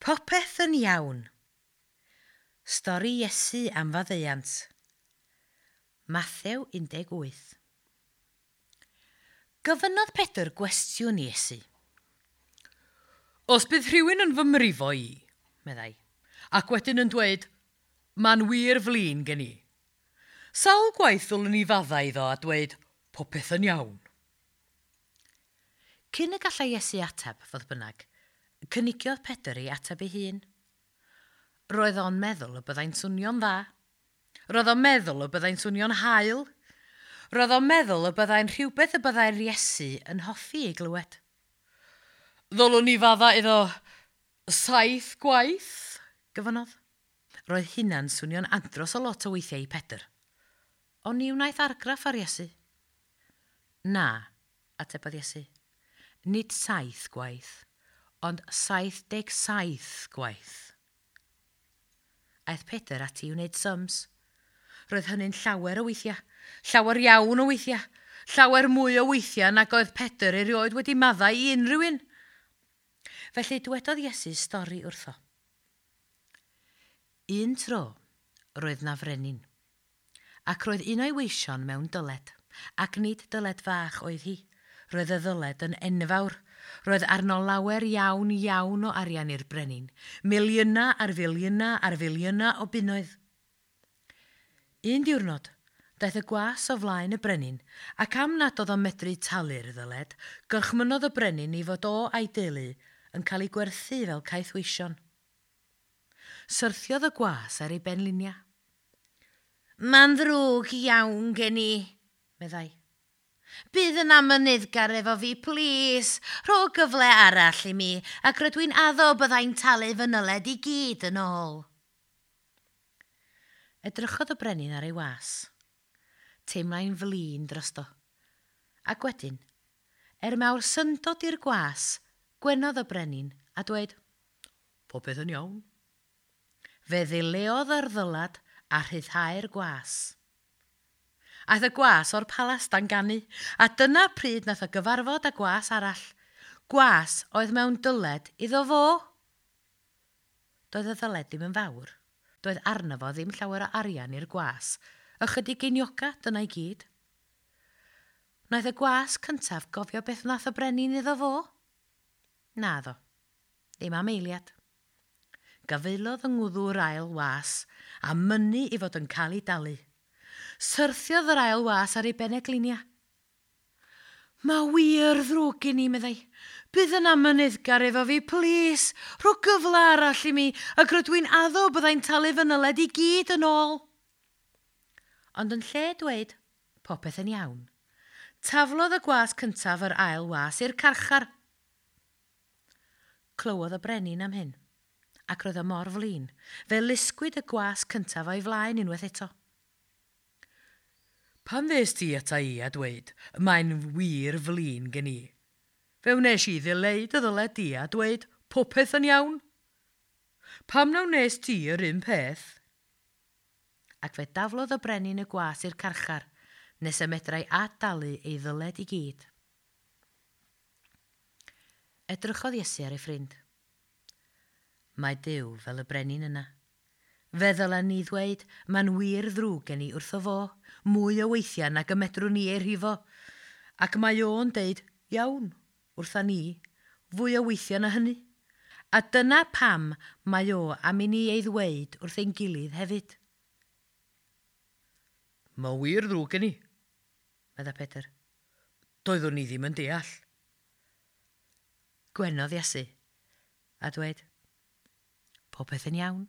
Popeth yn iawn. Stori Iesu am faddeuant. Mathew 18. Gofynnodd Pedr gwestiwn i Iesu. Os bydd rhywun yn fy mrifo i, meddai, ac wedyn yn dweud, mae'n wir flin gen i. Sawl gwaith ddylwn i faddau iddo a dweud, popeth yn iawn. Cyn y gallai Iesu ateb, fodd bynnag, cynigiodd Pedr ei ateb ei hun. Roedd o'n meddwl y byddai'n swnio'n dda. Roedd o'n meddwl y byddai'n swnio'n hael. Roedd o'n meddwl y byddai'n rhywbeth y byddai'r Iesu yn hoffi ei glywed. Ddylwn i fadda iddo 7 gwaith, gofynnodd. Roedd hynna'n swnio'n andros o lot o weithiau i Pedr. Ond ni wnaeth argraff ar Iesu. Na, atebodd Iesu. Nid 7 gwaith, ond 77 gwaith. Aeth Pedr ati i wneud sums. Roedd hynny'n llawer o weithiau, llawer iawn o weithiau, llawer mwy o weithiau nag oedd Pedr erioed wedi maddau i unrhyw un. Felly dwedodd Iesu stori wrtho. Un tro, roedd na frenin, ac roedd un o'i weision mewn dyled, ac nid dyled fach oedd hi. Roedd y ddyled yn enfawr. Roedd arno lawer iawn iawn o arian i'r brenin, miliynau ar filiynau ar filiynau o bunnoedd. Un diwrnod, daeth y gwas o flaen y brenin, ac am nad oedd o'n medru talu'r ddyled, gorchmynnodd y brenin i fod o a'i deulu yn cael ei gwerthu fel caethweision. Syrthiodd y gwas ar ei benliniau. Mae'n ddrwg iawn gen i, meddai. Bydd yn amyneddgar efo fi, plîs. Rho gyfle arall i mi, ac rydw i'n addo byddai'n talu fy nyled i gyd yn ôl. Edrychodd y brenin ar ei was. Teimlai'n flin drosto. Ac wedyn, er mawr syndod i'r gwas, gwenodd y brenin a dweud, Popeth yn iawn. Fe ddileodd yr ddylad a rhyddhau'r gwas. Aeth y gwas o'r palas dan ganu, a dyna pryd nath o gyfarfod â gwas arall. Gwas oedd mewn dyled iddo fo. Doedd y ddyled ddim yn fawr. Doedd arno fo ddim llawer o arian i'r gwas. Ychydig geinioga, dyna i gyd. Wnaeth y gwas cyntaf gofio beth wnaeth y brenin iddo fo? Naddo, ddim am eiliad. Gafaelodd yng ngwddw'r ail was a mynnu i fod yn cael ei dalu. Syrthiodd yr ail was ar ei beneglinia. Mae wir ddrwg gen i, meddai. Bydd yn amyneddgar efo fi, plîs. Rho gyfle arall i mi, ac rydw i'n addo byddai'n talu fy nyled i gyd yn ôl. Ond yn lle dweud, popeth yn iawn, taflodd y gwas cyntaf yr ail was i'r carchar. Clywodd y brenin am hyn, ac roedd o mor flin, fe lusgwyd y gwas cyntaf o'i flaen unwaith eto. Pan ddes ti ata i a dweud, mae'n wir flin gen i. Fe wnes i ddileu dy ddyled di a dweud, popeth yn iawn. Pam na wnes ti yr un peth? Ac fe daflodd y brenin y gwas i'r carchar, nes y medrai adalu ei ddyled i gyd. Edrychodd Iesu ar ei ffrind. Mae Duw fel y brenin yna. Fe ddylen ni ddweud, mae'n wir ddrwg gen i wrtho fo, mwy o weithiau nag y medrwn ni ei rhifo. Ac mae o'n deud, iawn, wrtha ni, fwy o weithiau na hynny. A dyna pam mae o am i ni ei ddweud wrth ein gilydd hefyd. Mae wir ddrwg gen i, medda Pedr. Doeddwn ni ddim yn deall. Gwenodd Iesu a dweud, popeth yn iawn.